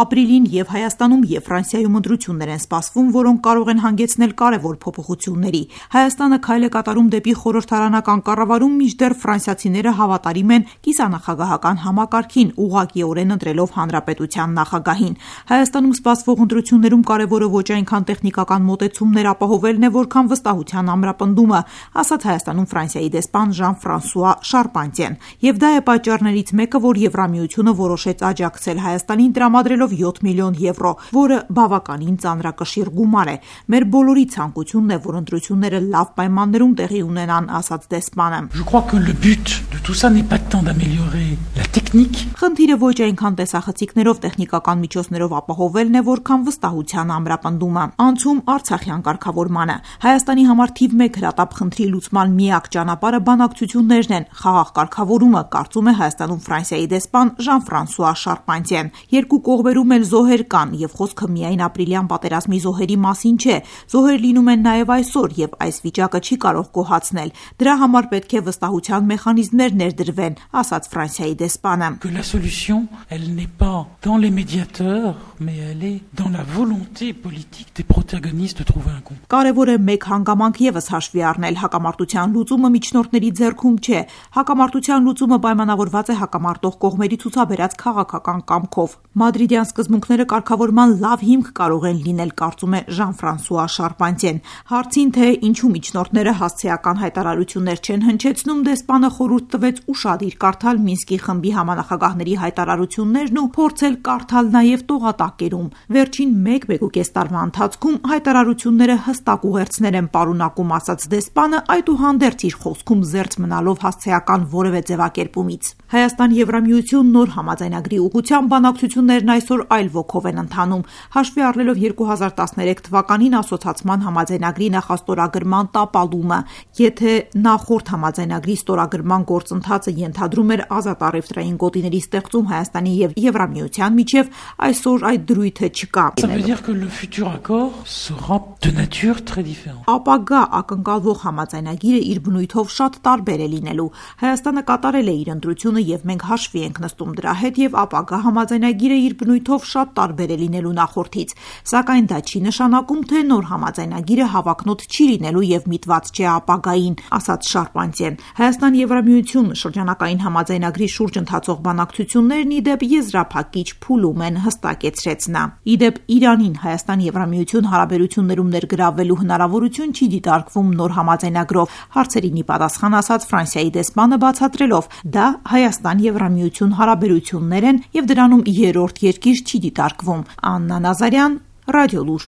Ապրիլին եւ Հայաստանում եւ Ֆրանսիայում ընտրություններ են սպասվում, որոնք կարող են հանգեցնել կարևոր փոփոխությունների։ Հայաստանը քայլ է կատարում դեպի խորհրդարանական կառավարում, մինչդեռ ֆրանսիացիները հավատարիմ են կիսանախագահական համակարգին, ուղղակիորեն ընտրելով հանրապետության նախագահին։ Հայաստանում սպասվող ընտրություններում կարևորը ոչ այնքան տեխնիկական մոտեցումներ ապահովելն է, որքան վստահության ամրապնդումը, ասաց Հայաստանում Ֆրանսիայի դեսպան Ժան-Ֆրանսուଆ Շարպանտիեն։ Եվ դա է պատճառներից մեկը, որ Եվրամիությունը որոշեց աջակցել Հայաստանին տրամադրելով 7 միլիոն եվրո, որը բավականին ծանրակշիռ գումար է։ Մեր բոլորի ցանկությունն է, որ ընտրությունները լավ պայմաններում տեղի ունենան, ասաց դեսպանը։ Խնդիրը ոչ այնքան տեսախցիկներով, տեխնիկական միջոցներով ապահովելն է, որքան վստահության ամրապնդումը։ Անցում Արցախյան կարգավորմանը։ Հայաստանի համար թիվ 1 հրատապ խնդրի լուծման միակ ճանապարհը բանակցություններն են, խաղաղ կարգավորումը, կարծում է Հայաստանում Ֆրանսիայի դեսպան Ժան-Ֆրանսուଆ Շարպանտիեն։ Երկու կողմերում էլ զոհեր կան, եւ խոսքը միայն ապրիլյան պատերազմի զոհերի մասին չէ։ Զոհեր լինում են նաեւ այսօր, եւ այս վիճակը չի կարող գոհացնել։ Դրա համար պետք է վստահության մեխանիզմներ ներդրվեն, ասաց Ֆրանսիայի դեսպանը։ La solution, elle n'est pas dans les médiateurs, mais elle est dans la volonté politique des protagonistes de trouver un compromis. Կարևոր է մեկ հանգամանք եւս հաշվի առնել. հակամարտության լուծումը միջնորդների ձեռքում չէ։ Հակամարտության լուծումը պայմանավորված է հակամարտող կողմերի ցուցաբերած քաղաքական կամքով։ Մադրիդյան սկզբունքները կարգավորման լավ հիմք կարող են լինել, կարծում է Ժան-Ֆրանսուଆ Շարպանտիեն։ Հարցին, թե ինչու միջնորդները հասցեական հայտարարություններ չեն հնչեցնում, դեսպանը խորհուրդ տվեց ուշադիր կարդալ Մինսկի խմբի համանախագահների հայտարարություններն ու փորձել կարդալ նաև տողատակերում։ Վերջին 1-1.5 տարվա ընթացքում հայտարարությունները հստակ ուղերձներ են պարունակում, ասաց դեսպանը, այդուհանդերձ իր խոսքում զերծ մնալով հասցեական որևէ ձևակերպումից։ Հայաստան-Եվրամիություն նոր համաձայնագրի ուղղությամբ բանակցություններն այսօր այլ ոգով են ընթանում, հաշվի առնելով 2013 թվականին ասոցացման համաձայնագրի նախաստորագրման տապալումը։ Եթե նախորդ համաձայնագրի ստորագրման գործընթացը ենթադրում էր ազատ առևտրային գոտիների ստեղծում Հայաստանի եւ Եվրամիության միջև, այսօր այդ դրույթը չկա։ Ça veut dire que le futur accord sera de nature très différente. Ապագա ակնկալվող համաձայնագիրը իր բնույթով շատ տարբեր է լինելու։ Հայաստանը կատարել է իր ընտրությունը եւ մենք հաշվի ենք նստում դրա հետ եւ ապագա համաձայնագիրը իր բնույթով շատ տարբեր է լինելու նախորդից։ Սակայն դա չի նշանակում, թե նոր համաձայնագիրը հավակնոտ չի լինելու եւ միտված չէ ապագային, ասաց Շարպանտիեն։ Հայաստան-Եվրամիություն շրջանակային համաձայնագրի շուրջ ընթացող բանակցություններն ի դեպ եզրափակիչ փուլում են, հստակեցրեց նա։ Ի դեպ Իրանին Հայաստան-Եվրամիություն հարաբերություններում ներգրավվելու հնարավորություն չի դիտարկվում նոր համաձայնագրով, հարցերին ի պատասխան ասաց Ֆրանսիայի դեսպանը, բացատրելով. դա Հայաստան-Եվրամիություն հարաբերություններ են եւ դրանում երրորդ երկիր չի դիտարկվում։ Աննա Նազարյան, Ռադիոլուր։